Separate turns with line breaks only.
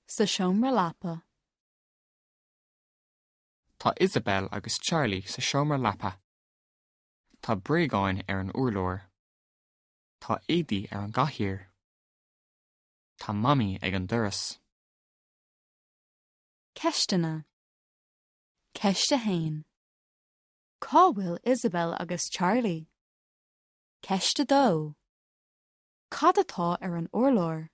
Sa seomra leapa.
Tá Isabel agus Charlie sa seomra leapa. Tá bréagáin ar an urlár. Tá éadaí ar an gcathaoir. Tá Mamaí ag an doras.
Ceisteanna. Ceist 1. Cá bhfuil Isabel agus Charlie? Ceist 2. Cad atá ar an urlár?